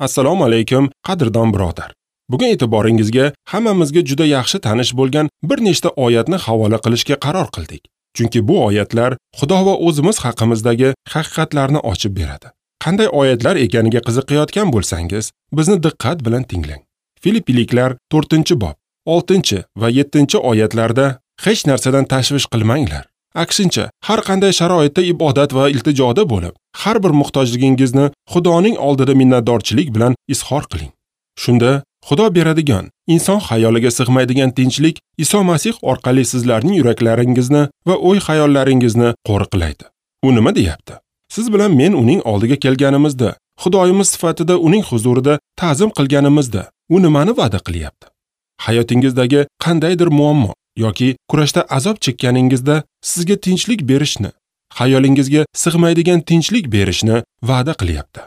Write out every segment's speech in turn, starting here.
Assalomu alaykum, qadrdon birodar. Bugun e'tiboringizga hammamizga juda yaxshi tanish bo'lgan bir nechta oyatni havola qilishga qaror qildik. Chunki bu oyatlar Xudo va o'zimiz haqimizdagi haqiqatlarni ochib beradi. Qanday oyatlar ekaniga qiziqayotgan bo'lsangiz, bizni diqqat bilan tinglang. Filipiliklar 4-bob, 6 va 7 oyatlarda hech narsadan tashvish qilmanglar. Aksincha, har qanday sharoitda ibodat va iltijoda bo'lib, har bir muhtojligingizni Xudoning oldida minnatdorchilik bilan izhor qiling. Shunda Xudo beradigan, inson xayoliga sig'maydigan tinchlik Iso Masih orqali sizlarning yuraklaringizni va o'y-xayollaringizni qo'riqlaydi. U nima deyapti? Siz bilan men uning oldiga kelganimizda, Xudoyimiz sifatida uning huzurida ta'zim qilganimizda, u nimani va'da qilyapti? Hayotingizdagi qandaydir muammo yoki kurashda azob chekkaningizda sizga tinchlik berishni, xayolingizga sig'maydigan tinchlik berishni va'da qilyapti.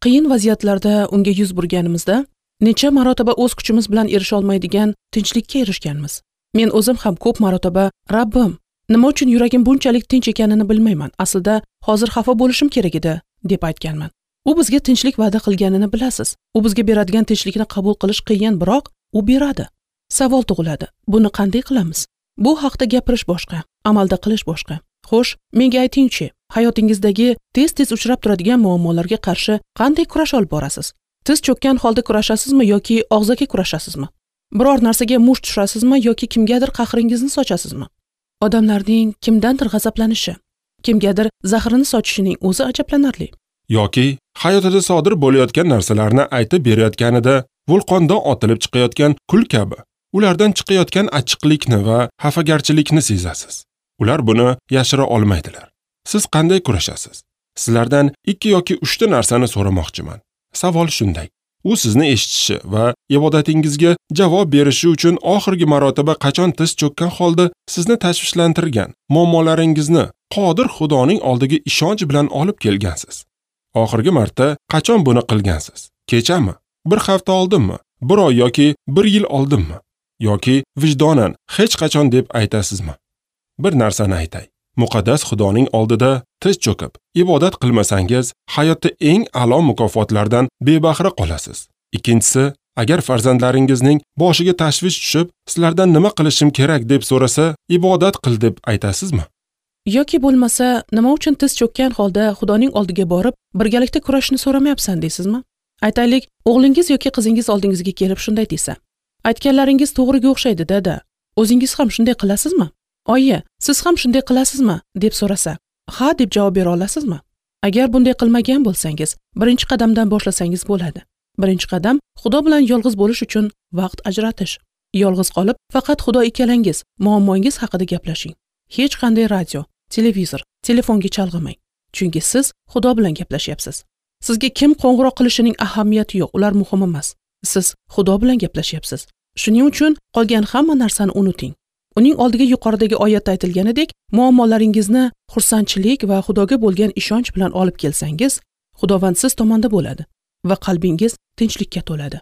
Qiyin vaziyatlarda unga yuz burganimizda necha marotaba o'z kuchimiz bilan erisha olmaydigan tinchlikka erishganmiz. Men o'zim ham ko'p marotaba Rabbim, nima uchun yuragim bunchalik tinch ekanini bilmayman. Aslida hozir xafa bo'lishim kerak edi, deb aytganman. U bizga tinchlik va'da qilganini bilasiz. U bizga beradigan tinchlikni qabul qilish qiyin, biroq u beradi. Savol tug'iladi. Buni qanday qilamiz? Bu haqda gapirish boshqa, amalda qilish boshqa. Xo'sh, menga aytingchi, hayotingizdagi tez-tez uchrab turadigan muammolarga qarshi qanday kurash olib borasiz? Tiz cho'kkan holda kurashasizmi yoki og'zaki kurashasizmi? Biror narsaga musht tushasizmi yoki kimgadir qahringizni sochasizmi? Odamlarning kimdandir g'azablanishi, kimgadir zahrini sochishining o'zi ajablanarli. Yoki hayotida sodir bo'layotgan narsalarni aytib berayotganida vulqondan otilib chiqayotgan kul kabi ulardan chiqayotgan achchiqlikni va xafagarchilikni sezasiz. Ular buni yashira olmaydilar. Siz qanday kurashasiz? Sizlardan 2 yoki 3 ta narsani so'ramoqchiman. Savol shunday. U sizni eshitishi va ibodatingizga javob berishi uchun oxirgi marotaba qachon tiz cho'kkan holda sizni tashvishlantirgan muammolaringizni qodir Xudoning oldiga ishonch bilan olib kelgansiz? Oxirgi marta qachon buni qilgansiz? Kechami? Bir hafta oldinmi? Bir oy yoki bir yil oldinmi? Yoki vijdonan hech qachon deb aytasizmi? Bir narsani aytay. Muqaddas Xudoning oldida tiz cho'kib ibodat qilmasangiz, hayotda eng a'lo mukofotlardan bebahra qolasiz. Ikkinchisi, agar farzandlaringizning boshiga tashvish tushib, sizlardan nima qilishim kerak deb so'rasa, ibodat qil deb aytasizmi? Yoki bo'lmasa, nima uchun tiz cho'kkan holda Xudoning oldiga borib, birgalikda kurashni so'ramayapsan deysizmi? Aytaylik, o'g'lingiz yoki qizingiz oldingizga kelib shunday desa: aytganlaringiz to'g'riga o'xshaydi, dada. O'zingiz ham shunday qilasizmi? Oyi, siz ham shunday qilasizmi? Deb so'rasa, ha deb javob bera olasizmi? Agar bunday qilmagan bo'lsangiz, birinchi qadamdan boshlasangiz bo'ladi. Birinchi qadam Xudo bilan yolg'iz bo'lish uchun vaqt ajratish. Yolg'iz qolib, faqat Xudo ikkalangiz muammongiz haqida gaplashing. Hech qanday radio, televizor, telefonga chalg'imang. Chunki siz Xudo bilan gaplashyapsiz. Sizga kim qo'ng'iroq qilishining ahamiyati yo'q, ular muhim emas. Siz Xudo bilan gaplashyapsiz. Shuning uchun qolgan hamma narsani unuting. Uning oldiga yuqoridagi oyatda aytilganidek, muammolaringizni xursandchilik va Xudoga bo'lgan ishonch bilan olib kelsangiz, Xudovand siz tomonda bo'ladi va qalbingiz tinchlikka to'ladi.